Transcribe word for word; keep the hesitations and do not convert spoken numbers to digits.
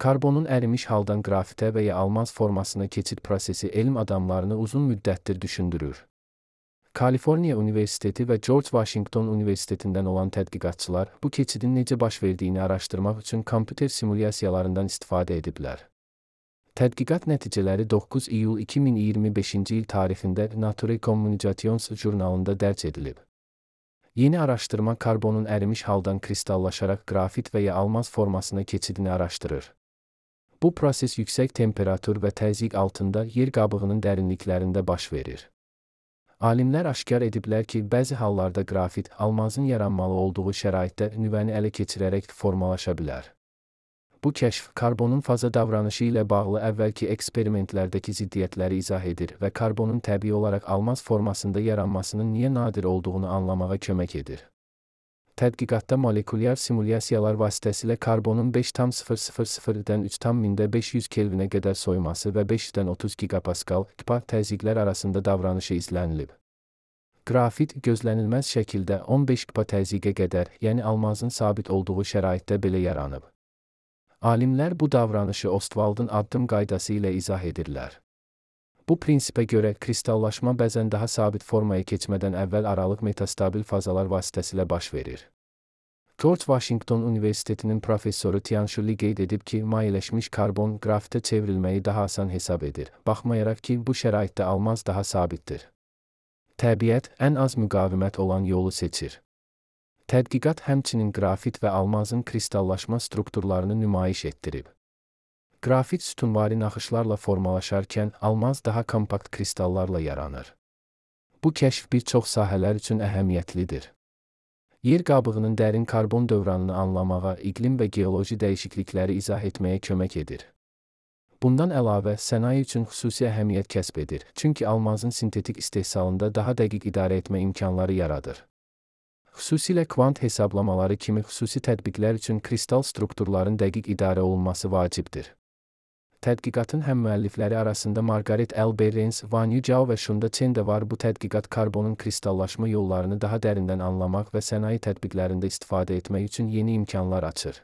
Karbonun ərimiş haldan qrafitə və ya almaz formasına keçid prosesi elm adamlarını uzun müddətdir düşündürür. Kaliforniya Universiteti və George Washington Universitetindən olan tədqiqatçılar bu keçidin necə baş verdiyini araşdırmaq üçün kompüter simulyasiyalarından istifadə ediblər. Tədqiqat nəticələri doqquz iyul iki min iyirmi beşinci il tarixində Nature Communications jurnalında dərc edilib. Yeni araşdırma karbonun ərimiş haldan kristallaşaraq qrafit və ya almaz formasına keçidini araşdırır. Bu proses yüksək temperatur və təzyiq altında yer qabığının dərinliklərində baş verir. Alimlər aşkar ediblər ki, bəzi hallarda qrafit, almazın yaranmalı olduğu şəraitdə nüvəni ələ keçirərək formalaşa bilər. Bu kəşf, karbonun faza davranışı ilə bağlı əvvəlki eksperimentlərdəki ziddiyyətləri izah edir və karbonun təbii olaraq almaz formasında yaranmasının niyə nadir olduğunu anlamağa kömək edir. Tədqiqatda molekulyar simulyasiyalar vasitəsilə karbonun beş tam sıfır sıfır sıfırdan üç tam mində beş yüz Kelvinə qədər soyması və beşdən otuz gigapaskal təzyiqlər arasında davranışı izlənilib. Qrafit gözlənilməz şəkildə on beş giga təzyiqə qədər, yəni almazın sabit olduğu şəraitdə belə yaranıb. Alimlər bu davranışı Ostwaldın addım qaydası ilə izah edirlər. Bu prinsipə görə kristallaşma bəzən daha sabit formaya keçmədən əvvəl aralıq metastabil fazalar vasitəsilə baş verir. George Washington Universitetinin professoru Tianshu Li qeyd edib ki, mayeləşmiş karbon qrafitə çevrilməyi daha asan hesab edir, baxmayaraq ki, bu şəraitdə almaz daha sabitdir. Təbiət ən az müqavimət olan yolu seçir. Tədqiqat həmçinin qrafit və almazın kristallaşma strukturlarını nümayiş etdirib. Qrafit sütunvari naxışlarla formalaşarkən, almaz daha kompakt kristallarla yaranır. Bu kəşf bir çox sahələr üçün əhəmiyyətlidir. Yer qabığının dərin karbon dövranını anlamağa, iqlim və geoloji dəyişiklikləri izah etməyə kömək edir. Bundan əlavə, sənaye üçün xüsusi əhəmiyyət kəsb edir, çünki almazın sintetik istehsalında daha dəqiq idarə etmə imkanları yaradır. Xüsusilə kvant hesablamaları kimi xüsusi tətbiqlər üçün kristal strukturların dəqiq idarə olunması vacibdir. Tədqiqatın həm müəllifləri arasında Margaret L. Behrens, Wanyu Zhao və Shunda Chen də var. Bu tədqiqat karbonun kristallaşma yollarını daha dərindən anlamaq və sənaye tətbiqlərində istifadə etmək üçün yeni imkanlar açır.